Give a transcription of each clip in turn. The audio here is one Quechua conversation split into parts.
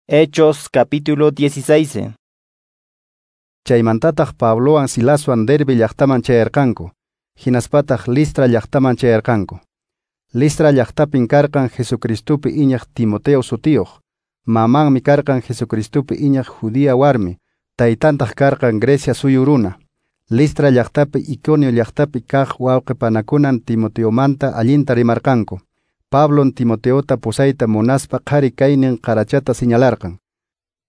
Hechos capítulo 16. Chaymantataq Pablowan Silaswan Derbe llaqtaman chayarqanku, hinaspataq Listra llaqtaman chayarqanku. Listra llaqtapin karqan Jesucristupi iñaq Timoteo sutiyuq, mamanmi karqan Jesucristupi iñaq judía warmi, taytantaq karqan Grecia suyu runa. Listra llaqtapi Iconio llaqtapi kaq wawqipanakunan Timoteomanta allinta rimarqanku. Pablon Timoteota pusayta munaspa qhari kaynin qarachata señalarqan.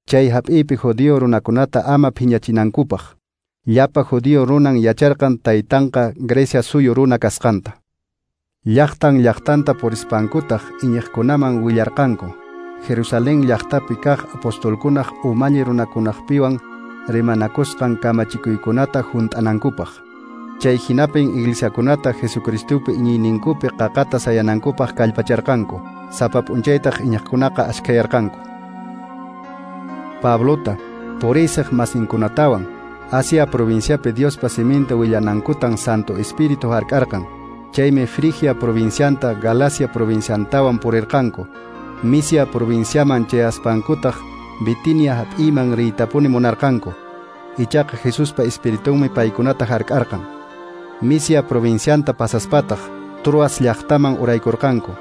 Chay hap'ipi judío runakunata ama phiñachinankupaq. Llapa judío runan yacharqan taytanqa Grecia suyu runa kasqanta. Llaqtan llaqtanta purispankutaq iñiqkunaman willarqanku. Jerusalén llaqtapi kaq apostolkunaq umalli runakunaqpiwan rimanakusqan kamachikuykunata hunt'anankupaq. Chay hinapin iglesiakunata Jesucristupi iñiyninkupi qaqata sayanankupaq kallpacharqanku. Sapa p'unchaytaq iñiqkunaqa ashkhayarqanku. Pablota, puriysiq masinkunatawan, Asia provinciapi Diospa siminta willanankutan Santo Espíritu hark'arqan. Chaymi Frigia provincianta Galacia provinciantawan purirqanku. Misia provinciaman chayaspankutaq Bitinia hap'iman riytapuni munarqanku. Ichaqa Jesuspa Espiritunmi paykunata hark'arqan. Misia provincianta pasaspataq Troas llaqtaman uraykurqanku.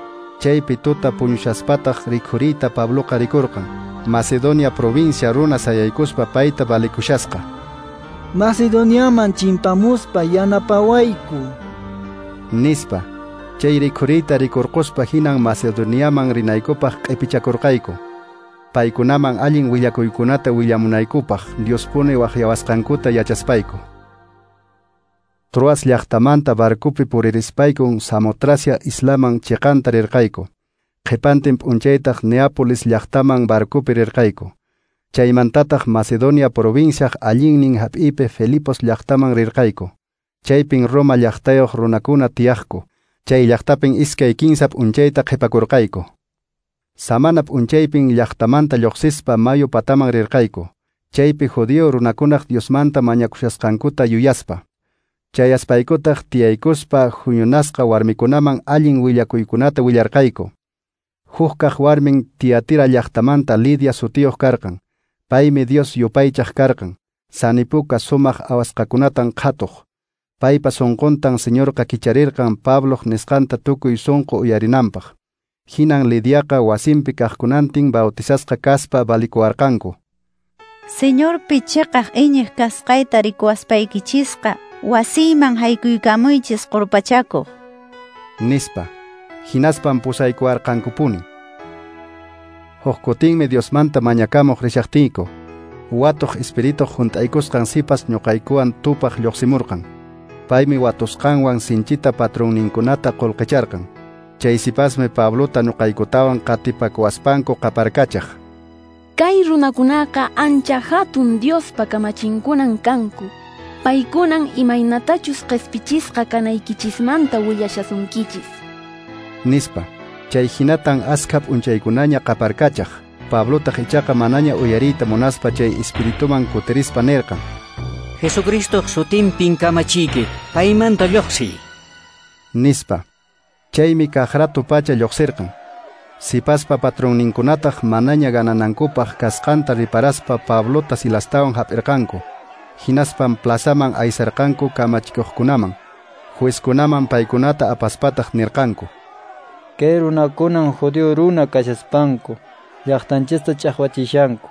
Chaypi tuta puñushaspataj rikhuriyta Pabloqa rikurqan. Macedonia provincia runa sayaykuspa payta valikushasqa. Macedoniaman chimpamuspa yanapawayku, nispa. Chay rikhuriyta rikurquspa hinan Macedoniaman rinaykupaq q'ipichakurqayku. Paykunaman allin willakuykunata willamunaykupaq Diospuni waqyawasqankuta yachaspayku. Troas llaqtamanta barcopi puririspaykun Samotracia islaman chiqanta rirqayku. Qhipantin p'unchaytaq Neápolis llaqtaman barcopi rirqayku. Chaymantataq Macedonia provinciaq allinnin hap'ipi Filipos llaqtaman rirqayku. Chaypin Roma llaqtayuq runakuna tiyaqku. Chay llaqtapin 2 y 15 p'unchayta qhipakurqayku. Samana p'unchaypin llaqtamanta lluqsispa mayu pataman rirqayku. Chaypi judío runakunaq Diosmanta mañakushasqankuta yuyaspa. Chayaspaykutaq tiyaykuspa huñunasqa warmikunaman allin willakuykunata willarqayku. Hukkaq warmin Tiatira llaqtamanta Lidia sutiyuq karqan. Paymi Dios yupaychaq karqan. Sanipuka sumaq awasqakunatan qhatuq. Paypa sunquntan Señorqa kicharirqan Pabloq nisqanta tukuy sunqu uyarinanpaq. Hinan Lidiaqa wasinpi kaqkunantin bautizasqa kaspa valikuwarqanku. Señorpi chiqaq iñiq kasqayta rikuwaspaykichisqa wasiyman haykuykamuychis qurpachakuq, nispa. Hinaspan pusaykuwarqankupuni. Huk kutinmi Diosmanta mañakamuq rishaqtiyku. Watuq espirituq hunt'aykusqan sipas ñuqaykuwan tupaq lluqsimurqan. Paymi watusqanwan sinchita patronninkunata qullqicharqan. Chay sipasmi Pablota ñuqaykutawan qatipakuwaspanku qaparkachaq. Kay runakunaqa ancha hatun Diospa kamachinkunan kanku. Paykunan imaynatachus qhispichisqa kanaykichismanta willashasunkichis, nispa. Chay hinatan askha p'unchaykunaña qaparkachaq. Pablotaq ichaqa manaña uyariyta munaspa chay espirituman kutirispa nirqan: Jesucristoq sutinpin kamachiyki, paymanta lluqsiy, nispa. Chaymi kaqrato pacha lluqsirqan. Sipaspa patronninkunataq manaña gananankupaq kasqanta riparaspa Pablota Silastawan hap'irqanku. Hinaspan plazaman aysarqanku kamachikuqkunaman. Juezkunaman paykunata apaspataq nirqanku: Kay runakunan judío runa kashaspanku, llaqtanchista ch'aqwachishanku.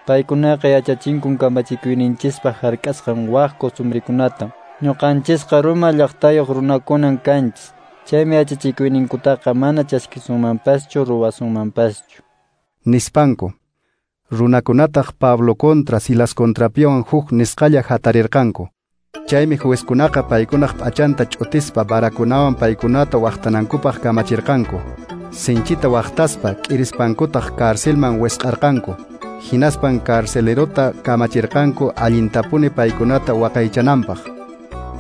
Paykunaqa yachachinkun kamachikuyninchispaq hark'asqan waq costumbrikunata. Ñuqanchisqa Roma llaqtayuq runakunan kanchis. Chaymi yachachikuyninkutaqa mana chaskisunmanpaschu ruwasunmanpaschu, nispanku. Runakunataq Pablo contra Silas contrapiwan huk nisqalla hatarirqanku. Chaymi juezkunaqa paykunaq p'achanta ch'utispa varakunawan paykunata waqtanankupaq kamachirqanku. Sinchita waqtaspa k'irispankutaq carcelman wisq'arqanku. Hinaspan carcelerota kamachirqanku allintapuni paykunata waqaychananpaq.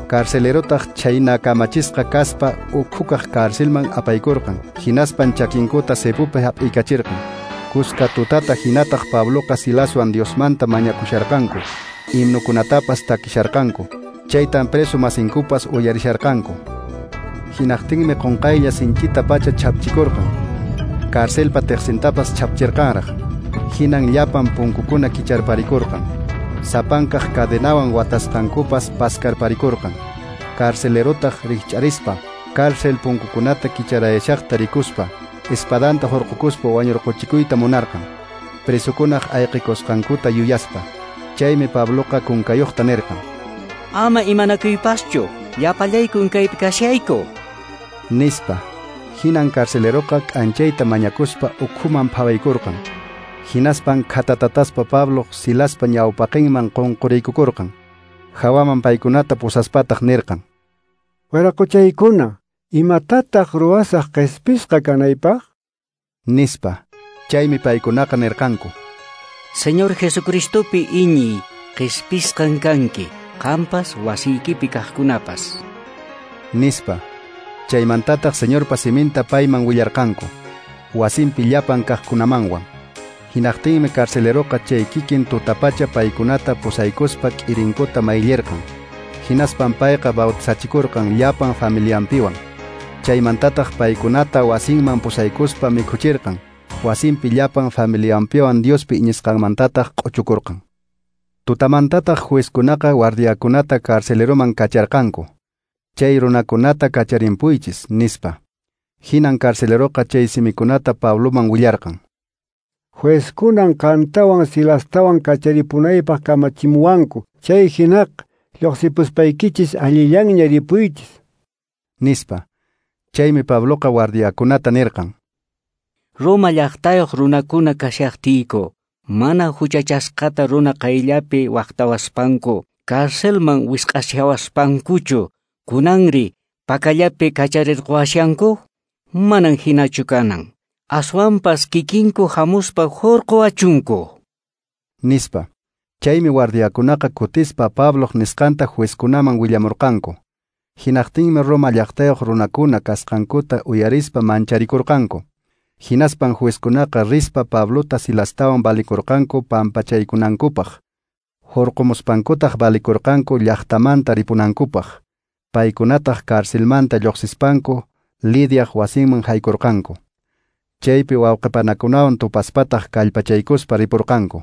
Carcelerotaq chayna kamachisqa kaspa ukhukaq carcelman apaykurqan. Hinaspan chakinkuta cepupi hap'iykachirqan. Kuska tutata hinataq Pabloqa Silaswan Diosmanta mañakusharqanku. Himnukunatapas takisharqanku. Chaytan preso masinkupas uyarisharqanku. Hinaqtinmi qunqaylla sinchita pacha chhapchikurqan. Carcelpa tiqsintapas chhapchirqanraq. Hinan llapan punkukuna kicharparikurqan. Sapankaq cadenawan watasqankupas paskarparikurqan. Carcelerotaq rikch'arispa, cárcel punkukunata kicharayashaqta rikuspa, espadanta hurqukuspa wañurquchikuyta munarqan. Presokunaq ayqikusqankuta yuyaspa. Chaymi Pabloqa kunkayuqta nirqan: Ama imanakuypaschu, llapallaykun kaypi kashayku, nispa. Hinan carceleroqa k'anchayta mañakuspa ukhuman phawaykurqan. Hinaspan khatatataspa Pabloq Silaspa ñawpaqinman qunquriykukurqan. Hawaman paykunata pusaspataq nirqan: Wiraquchaykuna, imatataq ruwasaq qhispisqa kanaypaq? Nispa. Chaymi paykunaqa nirqanku: Señor Jesucristopi iñiy, qhispisqan kanki, qampas wasiykipi kaqkunapas, nispa. Chaymantataq Señorpa siminta payman willarqanku, wasinpi llapan kaqkunamanwan. Hinaqtinmi carceleroqa chay kikin tutapacha paykunata pusaykuspa k'irinkuta mayllirqan. Hinaspan payqa bautizachikurqan llapan familianpiwan. Chaymantataq paykunata wasinman pusaykuspa mikhuchirqan. Wasinpi llapan familianpiwan Diospi iñisqanmantataq q'uchukurqan. Tutamantataq juezkunaqa guardiakunata carceleroman kacharqanku. Chay runakunata kacharimpuychis, nispa. Hinan carceleroqa chay simikunata Pabloman willarqan. Juezkunan qantawan Silastawan kacharipunaypaq kamachimuwanku. Chay hinaqa lluqsipuspaykichis allillanña ripuychis, nispa. Chaymi Pabloqa guardiakunata nirqan: Roma llaqtayuq runakuna kashaqtiyku, mana huchachasqata runa qayllapi waqtawaspanku, carcelman wisq'ashawaspankuchu, kunanri pakallapi kacharirquwashanku? Manan hinachu kanan. Aswanpas kikinku hamuspa hurquwachunku, nispa. Chaymi guardiakunaqa kutispa Pabloq nisqanta juezkunaman willamurqanku. Hinaqtinmi Roma llaqtayuq runakuna kasqankuta uyarispa mancharikurqanku. Hinaspan juezkunaqa rispa Pablota Silastawan valikurqanku pampachaykunankupaq. Hurqumuspankutaq valikurqanku llaqtamanta ripunankupaq. Paykunataq carcelmanta lluqsispanku Lidiaq wasinman haykurqanku. Chaypi wawqipanakunawan tupaspataq kallpachaykuspa ripurqanku.